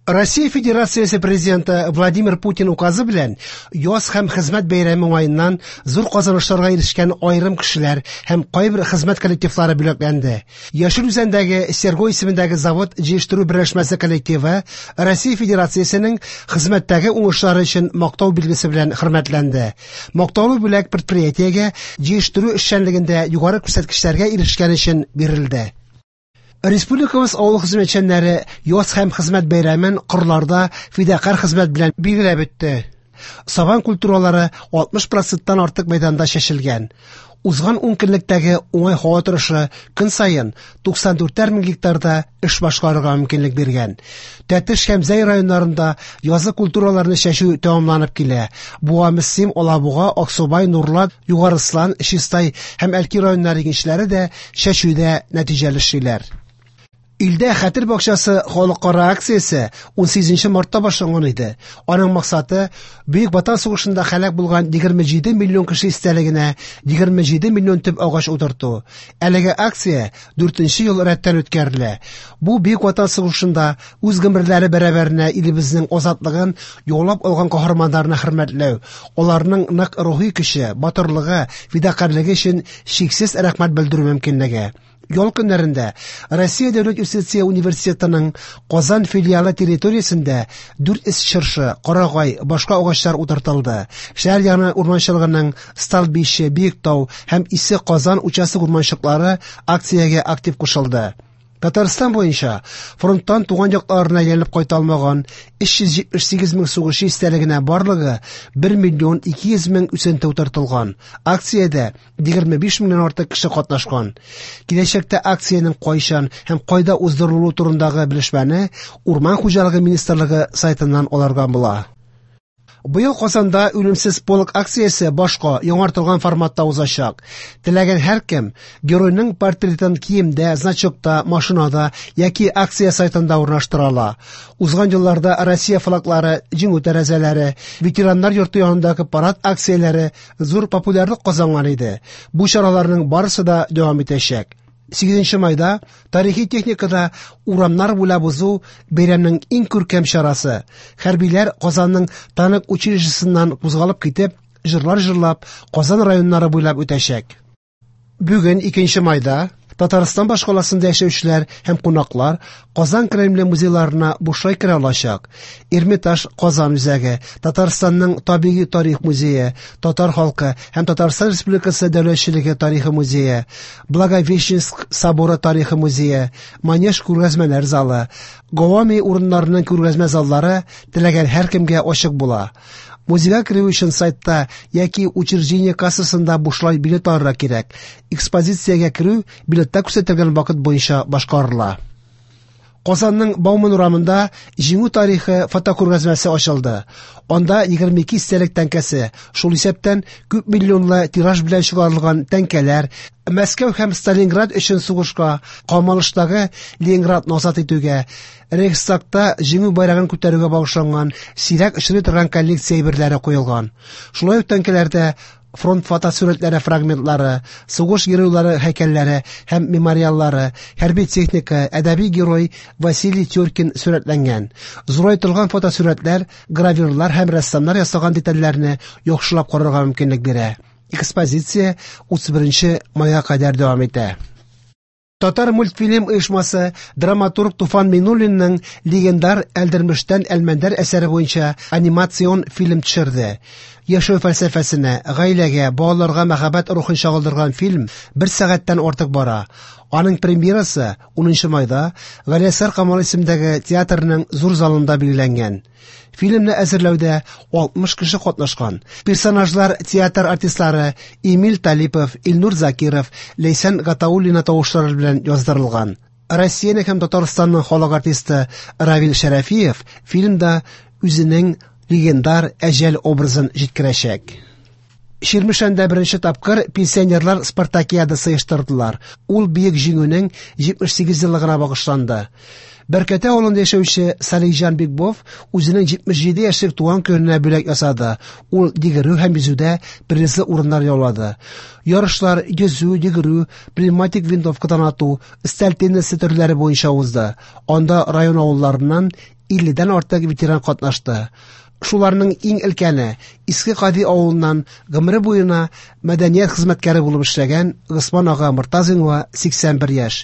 Россия Федерациясе Президенты Владимир Путин указы белән яз һәм хезмәт бәйрәме уңаеннан зур казанышларга ирешкән аерым кешеләр һәм кайбер хезмәт коллективлары бүләкләнде. Яшел Үзәндәге Серго исемендәге завод җыештыру берләшмәсе коллективы Россия Федерациясенең хезмәттәге уңышлары өчен мактау билгесе белән хөрмәтләнде. Мактаулы бүләк предприятиегә җыештыру эшчәнлегендә югары күрсәткечләргә ирешкән өчен бирелде. Республикабыз авыл хезмәтчәннәре яз һәм хезмәт бәйрәмен кырларда фидакарь хезмәт белән билгеләп үтте. Сабан культуралары 60 проценттан артык мәйданда чәчелгән. Узган 10 көнлектәге уңай һава торышы көн саен 94 мең гектарда эш башкарырга мөмкинлек биргән. Тәтеш һәм Зәй районнарында язгы культураларны чәчү тәмамланып килә. Буа, Мөслим, Алабуга, Аксубай, Нурлат, Югары Ослан, Чистай һәм Әлки районнары игенчеләре дә чәчүдә нәтиҗәле эшлиләр. Илдә Хәтер бакчасы халыкара акциясе 18 мартта башланган иде. Аның максаты Бөек Ватан сугышында һәлак булган 27 миллион кеше истәлегенә 27 миллион төп агач утырту. Әлеге акция 4 ел рәттән үткәрелә. Бу Бөек Ватан сугышында үз гомерләре бәрабәренә илебезнең азатлыгын яулап алган каһарманнарны хөрмәтләү, аларның нык рухи көче, батырлыгы, фидакарьлеге өчен чиксез рәхмәт белдерү мөмкинлеге. Ял көннәрендә Россия дәүләт юстиция университетының Казан филиалы территориясендә 400 чыршы, карагай, башка агачлар утыртылды. Шәһәр яны урманчылыгының Столбище, Биектау һәм Исе Казан участок урманчыклары акциягә актив кушылды. Татарстан буенча фронттан туган якларына әйләнеп кайта алмаган 378 мең сугышчы истәлегенә барлыгы 1 миллион 200 мең үсенте утыртылган. Акциядә 25 меңнән артык кеше катнашкан. Киләчәктә акциянең кайчан һәм кайда уздырылуы турындагы белешмәне Урман хуҗалыгы министрлыгы сайтыннан алырга була. Быел Казанда Үлемсез полк акциясе башка яңартылган форматта узачак. Теләгән һәркем геройның портретын киемдә, значокта, машинада яки акция сайтында урнаштыра ала. Узган елларда Россия флаглары, җиңү тәрәзәләре, ветераннар йорты янындагы парад акцияләре зур популярлык казанган иде. Бу чараларның барысы да дәвам итәчәк. 8 майда тарихи техникада урамнар буйлап узу бәйрәмнең иң күркәм чарасы. Хәрбиләр Казанның танк училищесыннан кузгалып китеп, җырлар җырлап, Казан районнары буйлап үтәчәк. Бүген 2 майда Татарстан башкаласында яшәүчеләр һәм кунаклар Казан Кремле музейларына бушлай керә алачак. Эрмитаж Казан үзәге, Татарстанның табигый тарих музее, Татар халкы һәм Татарстан Республикасы дәүләтчелеге тарихы музее, Благовещенск соборы тарихы музее, Манеж күргәзмәләр залы, Гавами урыннарының күргәзмә заллары теләгән һәркемгә ачык була. Музейга керү өчен сайтта яки учреждение кассасында бушлай билет алырга кирәк. Экспозициягә керү билетта күрсәтелгән вакыт буенча башкарыла. Казанның Бауман урамында Җиңү тарихы фотокүргәзмәсе ачылды. Анда 22 истәлек тәңкәсе, шул исәптән күп миллионлы тираж белән чыгарылган тәңкәләр, Мәскәү һәм Сталинград өчен сугышка, камалыштагы Ленинградны азат итүгә, Рейхстагта Җиңү байрагын күтәрүгә багышланган сирәк очрый торган коллекция әйберләре куелган. Шулай ук тәңкәләрдә фронт фотосурәтләре фрагментлары, сугыш геройлары һәйкәлләре һәм мемориаллары, хәрби техника, әдәби герой Василий Тюркин сурәтләнгән. Зурайтылган фотосурәтләр гравюрлар һәм рәссамнар ясаган детальләрне яхшылап карарга мөмкинлек бирә. Экспозиция 31 майга кадәр дәвам итә. Татар мультфильм оешмасы драматург Туфан Миңнуллинның легендар Әлдермештән Әлмәндәр әсәре буенча анимацион фильм төшерде. Яшәү фәлсәфәсенә, гаиләгә, балаларга мәхәббәт рухын чагылдырган фильм бер сәгатьтән артык бара. Аның премьерасы 10 майда Галиәсгар Камал исемендәге театрның зур залында билгеләнгән. Фильмны әзерләүдә 60 кеше катнашкан. Персонажлар театр артистлары Эмиль Талипов, Илнур Закиров, Ләйсән Гатауллина тавышлары белән яздырылган. Россиянең һәм Татарстанның халык артисты Равил Шәрәфиев фильмда үзенең легендар Әҗәл образын җиткерәчәк. Чирмешәндә беренче тапкыр пенсионерлар спартакиадасы оештырдылар. Ул Бөек Җиңүнең 78 еллыгына багышланды. Бәркәтә авылында яшәүче Салихҗан Бикбов үзенең 77 яшьлек туган көненә бүләк ясады. Ул йөгерү һәм йөзүдә призлы урыннар яулады. Ярышлар йөзү, йөгерү, пневматик винтовкадан ату, өстәл теннисы төрләре буенча узды. Анда район авылларыннан 50 дән артык ветеран катнашты. Шуларның иң өлкәне Иске Кади авылыннан гомере буена мәдәният хезмәткәре булып эшләгән Госман ага Мортазинга 81 яшь.